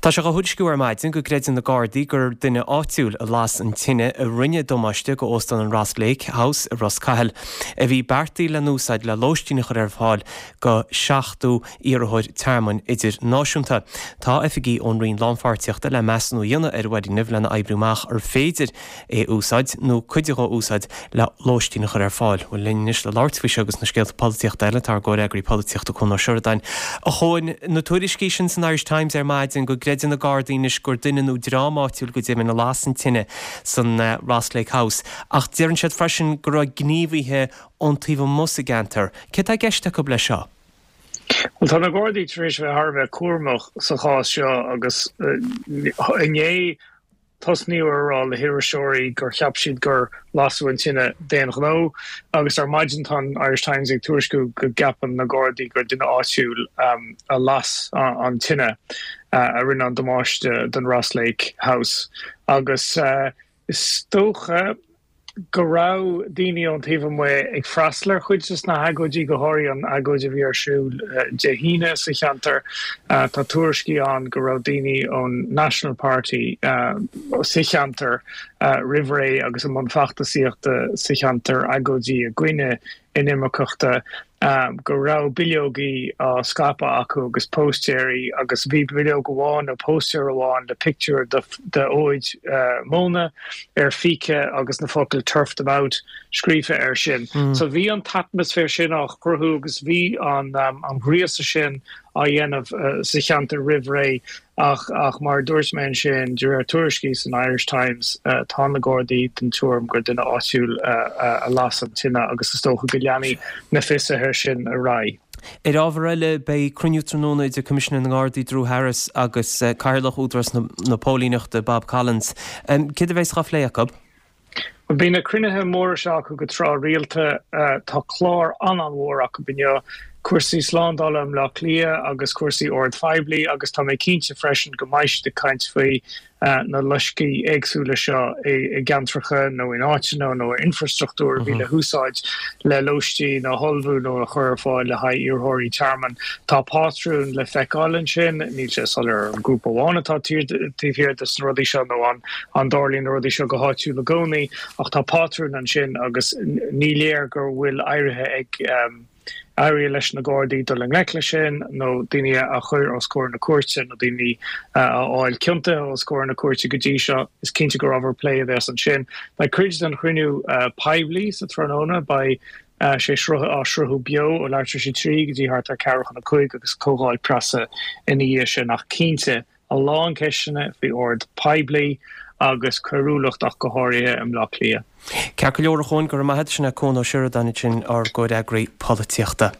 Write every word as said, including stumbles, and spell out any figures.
Tá sé á thuairisciú ar maidin go gcreideann na Gardaí gur duine áitiúil a las an tine a rinne damáiste go óstán an Ross Lake House i Ros Cathail, a bhí beartaithe le n-úsáid le lóistín a chur ar fáil go seachtó iarrthóir tearmainn idirnáisiúnta. Tá oifigigh ón Roinn Lánpháirtíochta le measúnú a dhéanamh ar an bhfoirgneamh lena oibriú amach ar féidir é úsáid nó cuid de a úsáid le lóistín a chur ar fáil. Bhuel linn anois le labhairt faoi seo agus na scéalta polaitíochta eile tá ár gcomhfhreagraí polaitíochta Cuan Ó Seireadáin. A Chuain, na tuairiscí sin san Irish Times ar maidin go gcreideann na Gardaí anois gur duine nó dream áitiúil go deimhin a las an tine san eh, Ross Lake House. Ach deireann siad freisin go raibh gníomhaithe ón taobh amuigh sa gceantar. Cé tá i gceist acu leis seo? Well tá na Gardaí tar éis bheith thar a bheith cúramach sa chás seo agus inné tosnaíodh ar rá le hiriseoirí gur cheap siad gur lasadh an tine d'aon ghnó agus ar maidin tá an Irish Times ag tuairisciú go gceapann na Gardaí gur duine áitiúil um, a las an tine uh, a rinne an damáiste don Ross Lake House agus uh, is dócha go raibh daoine ón taobh amuigh ag freastal ar chuid de na hagóidí go háirithe an agóid a bhí ar siúl uh, Dé hAoine sa cheantar uh, tá tuairiscí ann go raibh daoine ón National Party uh, sa cheantar uh, roimh ré agus an feachtasaíochta sa cheantar agóidí i gcoinne inimirceachta um, go raibh bileogaí á scaipeadh acu agus póstaeirí agus bhí bileog amháin nó póstaer amháin le pictiúr de, de fhóid uh, móna ar phíce agus na focail turf them out scríofa air sin. Mm. So bhí an t-atmaisféar sin á chruthú agus bhí an um, an ghríosadh sin á dhéanamh uh, sa cheantar roimh ré ach ach mar dúirt mé sin de réir tuairiscí san Irish Times uh, tá na Gardaí den tuairim gur duine áitiúil uh, uh, a las an tine agus is dócha go leanfaidh na fiosruithe sin ar aghaidh. Ar ábhar eile beidh cruinniú tráthnóna idir Coimisinéir na nGardaí Drew Harris agus uh, Cathaoirleach Údarás na, na Póilíneachta Bob Collins. Um, Cad a bheas á phlé acu? Bíonn na cruinnithe móra seo acu go tráthrialta uh, tá clár an-mhór acu inniu cúrsaí slándála i mBleá Cliath agus cúrsaí ord phoiblí agus tá mé cinnte freisin go mbeidh siad ag caint faoi uh, na loiscí éagsúla seo i, i gceantracha nó in áiteanna nó infrastruchtúr bhí le húsáid le lóistín a ullmhú nó a chur ar fáil le haghaidh iarrthóirí tearmainn. Tá pátrún le feiceáil ansin níl sé soiléir an grúpa amháin atá taobh thiar de na rudaí seo nó an an dtarlaíonn na rudaí seo go háitiúil i gcónaí ach tá pátrún ansin agus ní léir gur bhfuil éirithe ag um, éirí leis na Gardaí dul i ngleic leis sin nó daoine a chur os comhair na cúirte nó daoine a fháil ciontach os comhair na cúirte go dtí seo is cinnte gur ábhar plé a bheas ansin. Beidh cuid den chruinniú uh, poiblí sa tráthnóna beidh uh, sé sruth á sruthú beo ó leathuair tar éis a trí go dtí thart ar ceathrú chun a cúig agus comhdháil preasa ina dhiaidh sin ach cinnte a lán ceisteanna faoi ord poiblí agus coiriúlacht ach go háirithe i mBleá Cliath. Ceart go leor a Chuain go raibh maith agat sin Cuan Ó Seireadáin sin ár gcomhfhreagraí polaitíochta.